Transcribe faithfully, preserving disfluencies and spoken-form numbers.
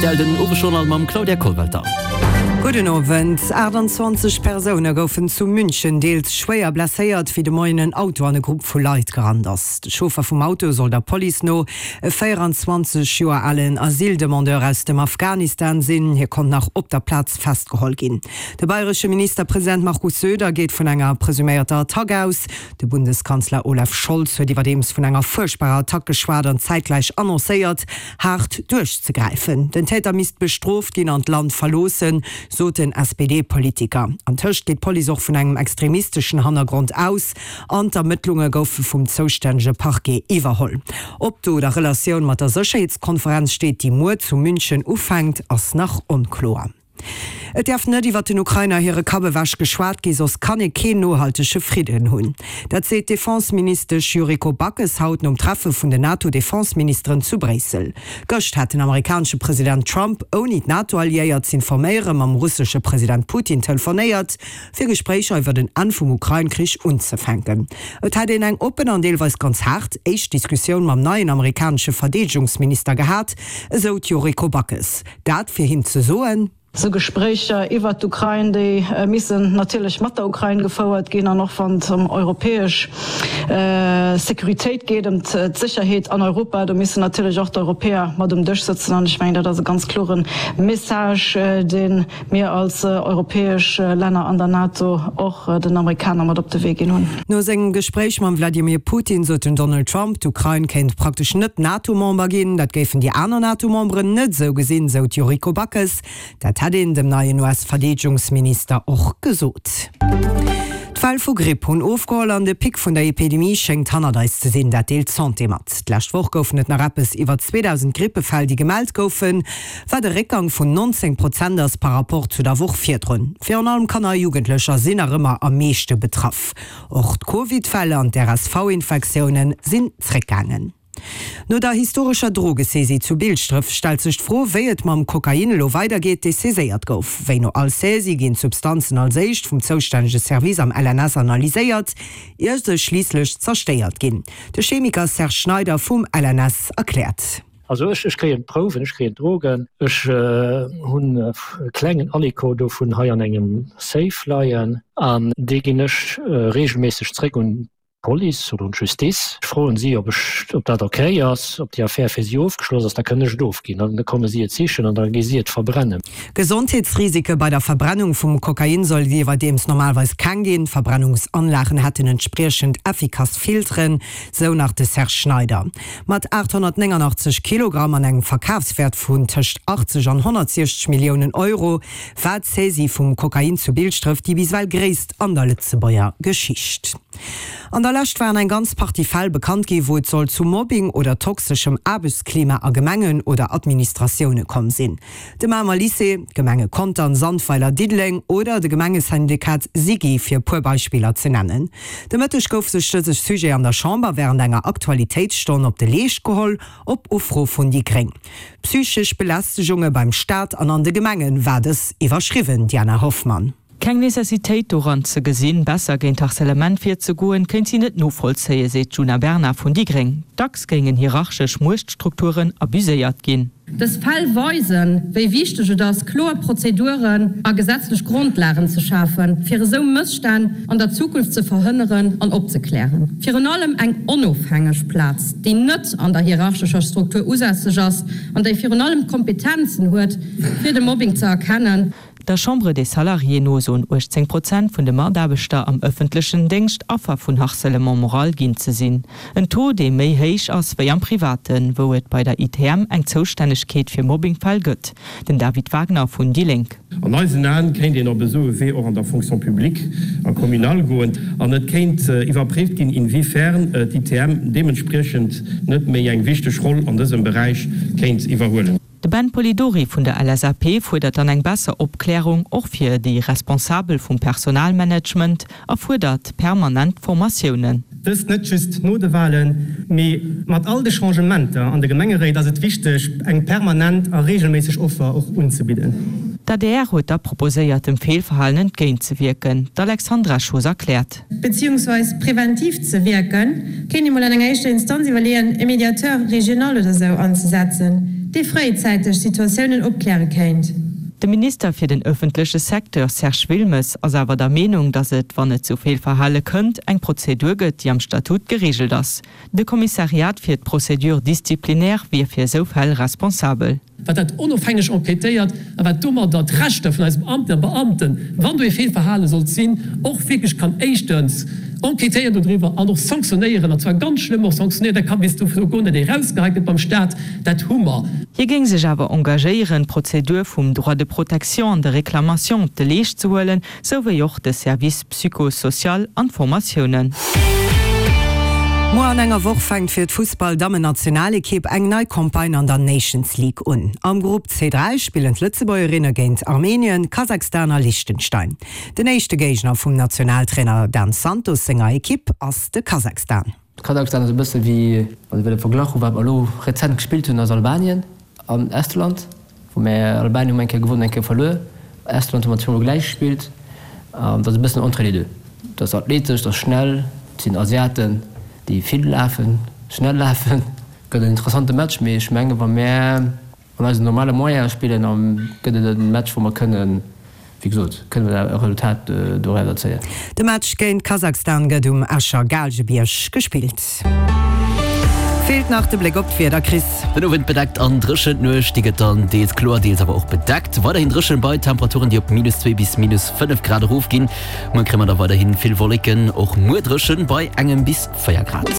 R T L den Owesjournal mam Claudia Kollwelter. Gudden Owend. aachtanzwanzeg Persoune goufen zu München deels schwéier blesséiert, wéi de Moien en Auto an e Grupp vu Leit gerannt ass. De Chauffer vum Auto soll der Police no e véieranzwanzeg Joer alen Asyldemandeur aus dem Afghanistan sinn. Hie konnt nach op der Plaz festgeholl ginn. De bayresche Ministerpresident Markus Söder geet vun enger presuméierter Attack aus. De Bundeskanzler Olaf Scholz huet iwwerdeems vun enger fuerchtbarer Attack geschwat an zäitgläich annoncéiert, haart duerchzegräifen. Den Täter misst bestrooft ginn an d'Land verloossen, sot den S P D-Politiker. Antëscht geet d'Police och vun engem extremisteschen Hannergrond aus an d'Ermëttlunge goufe vum zoustännege Parquet iwwerholl. Ob d'Dot a Relatioun mat der Sécherheetskonferenz steet, déi muer zu München ufänkt, ass nach onkloer. Et däerf net iwwer den Ukrainer hire Kapp ewech geschwat gi, soss kann ee keen nohaltege Fridden hunn. Dat seet d'Defenseministesch Yuriko Backes haut nom Treffe vun den NATO-Defenseministeren zu Bréissel. Gëscht hat den amerikanesche President Trump, ouni d'NATO-Alliéiert z'informéieren, mam russesche President Putin telefonéiert, fir Gespréicher iwwer en Enn vum Ukrain-Krich unzefänken. Et hätt een eng oppen an deelweis ganz haart éischt Diskussioun mam neien amerikanesche Verdeedegungsminister gehat, esou d'Yuriko Backes. Dat fir him ze soen. Esou Gespréicher iwwert d'Ukrain, déi missen natierlech mat der Ukrain gefouert ginn, an och wann et ëm europäesch Sécuritéit geet, ëm d'Sécherheet an Europa, do missen natierlech och d'Europäer mat um Dësch sëtzen. An ech mengen, dat ass e ganz klore Message, dee mir als europäesch Länner an der NATO och den Amerikaner mat op de Wee ginn hunn. No sengem Gespréich mam Wladimir Putin sot den Donald Trump, d'Ukrain kéint praktesch net NATO-Member ginn. Dat géifen déi aner NATO-Memberen net esou gesinn, sou d'Yuriko Backes. Dat hätt een dem neien U S-Verdeedegungsminister och gesot. D'Fäll vu Gripp hunn ofgeholl an de Pic vun der Epidemie schéngt hannert eis ze sinn. Dat deelt d'Santé mat. D'lescht Woch goufen et nach eppes iwwer zweedausend Grippefäll, déi gemellt goufen, wat e Réckgang vun nonzéng Prozent ass par Rapport zu der Woch virdrun. Virun allem Kanner a Jugendlecher sinn nach ëmmer am meeschte betraff. Och d'Covid-Fäll an d'R S V-Infektioune sinn zréckgaangen. No der historescher Drogesaisie zu Bilschdref stellt sech d'Fro, wéi et mam Kokain elo weidergeet, dee saiséiert gouf. Wéi no all Saisie ginn d'Substanzen als éischt vum zoustännege Service am L N S analyséiert, ier se schliisslech zerstéiert ginn. De Chemiker Serge Schneider vum L N S erkläert. Also ech, ech kréien d'Prouwen, ech kréien d'Drogen, ech, äh, hunn e klengen Aliko dovun hei an engem Safe leien an dee ginn ech, äh, regelméisseg zréck un d'Police oder un d'Justiz. Ech froen si, ob ech, ob dat okay ass, ob déi Affär fir si ofgeschloss ass, da kënne ech et ofginn. Dann komme si et sichen an da gi si et verbrennen. Gesondheetsrisike bei der Verbrennung vum Kokain soll et iwwerdeems normalerweis keng ginn. Verbrennungsanlagen hätten entspriechend effikass Filteren, sou nach de Serge Schneider. Mat achthonnertnéngundachtzeg Kilogramm an engem Verkafswert vun tëscht achtzeg an honnertsiechzeg Milliounen Euro war d'Saisie vum Kokain zu Bilschdref déi bis ewell gréisst an der Lëtzebuerger Geschicht. An der Lescht waren eng ganz Partie Fäll bekannt gi, wou et soll zu Mobbing oder toxeschem Aarbechtsklima a Gemengen oder Administratioune komm sinn. De Mamer Lycée, d'Gemenge Contern, Sandweiler, Diddeleng oder de Gemengesyndikat SIGI, fir e puer Beispiller ze nennen. De Mëtteg gouf sech dëse Sujet an der Chamber wärend enger Aktualitéitsstonn op de Leescht geholl, op Ufro vun déi Gréng. Psychesch Belästegunge beim Staat an an de Gemengen war dës iwwerschriwwen, Diana Hoffmann. Keng Necessitéit doran ze gesinn, besser géint Harcèlement virzegoen, kéint si net novollzéien, seet d'Djuna Bernard vun déi Gréng. Dacks géingen hierarchesch Muechtstrukturen abuséiert ginn. Dës Fäll weisen, wéi wichteg et ass, kloer Prozeduren a gesetzlech Grondlagen ze schafen, fir esou Mësstänn an der Zukunft ze verhënneren an opzeklären. Virun allem eng onofhängeg Plaz, déi net an der hierarchescher Struktur usässeg ass an déi virun allem d'Kompetenzen huet, fir de Mobbing ze erkennen. Der Chambre des Salariés no soen uechtzéng Prozent vun de Mataarbechter am ëffentlechen Déngscht Affer vun Harcèlement moral ginn ze sinn. En Taux, dee méi héich ass wéi am Privaten, wou et bei der I T M eng Zoustännegkeet fir Mobbingfäll gëtt. Den David Wagner vun déi Lénk. An eisen Aen kéint een op esou e Wee och an der Fonction publique a communale goen an et kéint iwwerpréift ginn, inwiefern d'I T M deementspriechend net méi eng wichteg Roll an dësem Beräich kéint iwwerhuelen. De Ben Polidori vun der L S A P fuerdert dann eng besser Opklärung och fir déi Responsabel vum Personalmanagement a fuerdert permanent Formatiounen. Dëst net just no de Wahlen, mee mat all de Changementer an de Gemengeréit ass et wichteg, eng permanent a regelméisseg Offer och unzebidden. D'A D R huet da proposéiert, dem Fehlverhalen entgéintzewierken. D'Alexandra Schoos erkläert. Beziehungsweise präventiv ze wirken, kéint ee mol an enger éischter Instanz iwwerleeën, e Mediateur régional oder sou anzesetzen, dee fréizäiteg Situatiounen opkläre kéint. De Minister fir den ëffentleche Secteur Serge Wilmes ass awer der Meenung, datt et, wann et zu Feelverhale kënnt, eng Prozedur gëtt, déi am Statut gereegelt ass. De Kommissariat fir d'Procédures disciplinaires wier fir esou Fäll responsabel. Wat dat onofhängeg enquêtéiert a wat domadder d'Rechter vun eise Beamten a Beamten, wann do ee Feelverhale sollt sinn, och wierklech kann éischtens enquêtéieren dodriwwer an och sanktionéieren, an zwar ganz schlëmm och sanktionéieren, dat ka bis dozou goen, datt ee erausgeheit gëtt beim Stat, dat hu mer. Hie géing sech awer engagéieren, d'Prozedur vum Droit de protection an de réclamation op de Leescht ze huelen, sou wéi och de Service psycho-social an d'Formatiounen. Muer an enger Woch fänkt fir d'Fussball-Dammennationalekipp eng nei Campagne an der Nations League un. Am Grupp C dräi spillen d'Lëtzebuergerinne géint Armenien, Kasachstan a Liechtenstein. Den éischte Géigner vum Nationaltrainer Dan Santos senger Ekipp ass de Kasachstan. Kasachstan ass e bësse wéi, wann ee wëll e Verglach hu wat mer elo rezent gespillt hunn, ass Albanien an Estland, wou mer Albanien hu mer eng Kéier gewonnen, eng Kéier verluer, Estland hu mer zweemol gläich gespillt. An dat ass e bëssen entre les deux. Dat ass athletesch, dat ass schnell, et sinn Asiaten, déi vill lafen, schnell lafen. Gëtt en interessante Match, mee ech menge wa mär an eisen normale Moyene spillen, da gëtt et e Match, wou mer kënnen, wéi gesot, kënne mer e Resultat doraus erzéien. De Match géint Kasachstan gëtt um Escher Gaalgebierg gespillt. Feelt nach de Bléck op d'Wieder, Chris. Den Owend bedeckt an dréchen, d'Nuecht déi gëtt dann deels kloer, deels awer och bedeckt. Weiderhin dréchen bei Temperaturen déi op minus zwee bis minus fënnef Grad erofginn. Muer kréie mer da weiderhin vill Wolleken, och muer dréchen bei engem bis véier Grad.